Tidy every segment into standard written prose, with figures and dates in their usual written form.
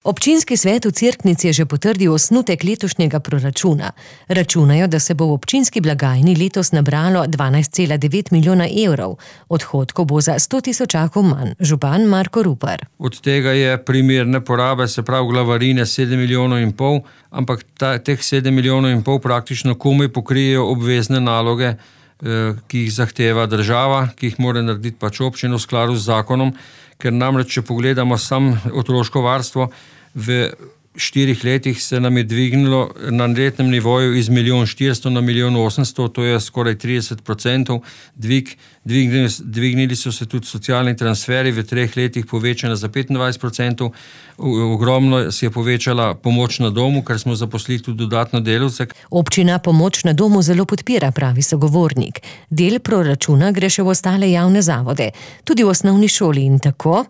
Občinski svet v Cerknici je že potrdil osnutek letošnjega proračuna. Računajo, da se bo v občinski blagajni letos nabralo 12,9 milijona evrov. Odhodkov bo za 100 tisočakov manj. Župan Marko Rupar. Od tega je primerne porabe, se pravi glavarine 7,5 milijonov, ampak teh 7,5 milijonov praktično komaj pokrijejo obvezne naloge, ki jih zahteva država, ki jih mora narediti pač občina v skladu z zakonom, ker namreč, če pogledamo sam otroško varstvo, v 4 letih se nam je dvignilo na letnem nivoju iz 1,4 na 1,800,000, to je skoraj 30% dvig. Dvignili so se tudi socialni transferi, v 3 letih povečana za 25%. Ogromno se je povečala pomoč na domu, ker smo zaposlili tudi dodatno delavce. Občina pomoč na domu zelo podpira, pravi sogovornik. Del proračuna gre še v ostale javne zavode, tudi v osnovni šoli in tako.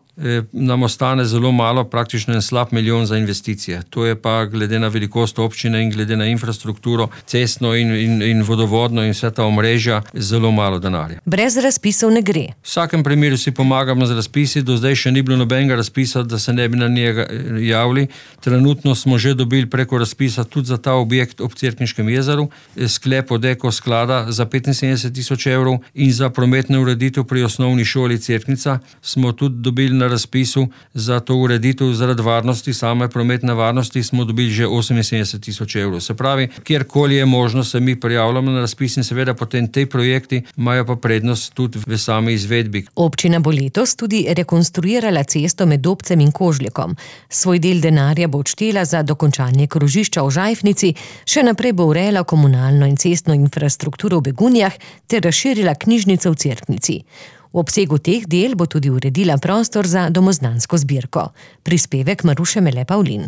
Nam ostane zelo malo, praktično en slab milijon za investicije. To je pa glede na velikost občine in glede na infrastrukturo, cestno in vodovodno in vse ta omrežja, zelo malo denarja. Brez razpisov ne gre. V vsakem primeru si pomagamo z razpisi, do zdaj še ni bilo nobenega razpisa, da se ne bi na njega javili. Trenutno smo že dobili preko razpisa tudi za ta objekt ob Cerkniškem jezeru, sklep od Eko sklada za 75 tisoč evrov in za prometno ureditev pri osnovni šoli Cerknica smo tudi dobili na razpisu za to ureditev zaradi varnosti, same prometne varnosti smo dobili že 78 tisoč evrov. Se pravi, kjerkoli je možno, se mi prijavljamo na razpis in seveda potem te projekti imajo pa prednost tudi v sami izvedbi. Občina bo letos tudi rekonstruirala cesto med Dobcem in Kožljekom. Svoj del denarja bo odštela za dokončanje krožišča v Žajfnici, še naprej bo urejala komunalno in cestno infrastrukturo v Begunjah ter razširila knjižnico v Cerknici. V obsegu teh del bo tudi uredila prostor za domoznansko zbirko. Prispevek Maruše Mele Pavlin.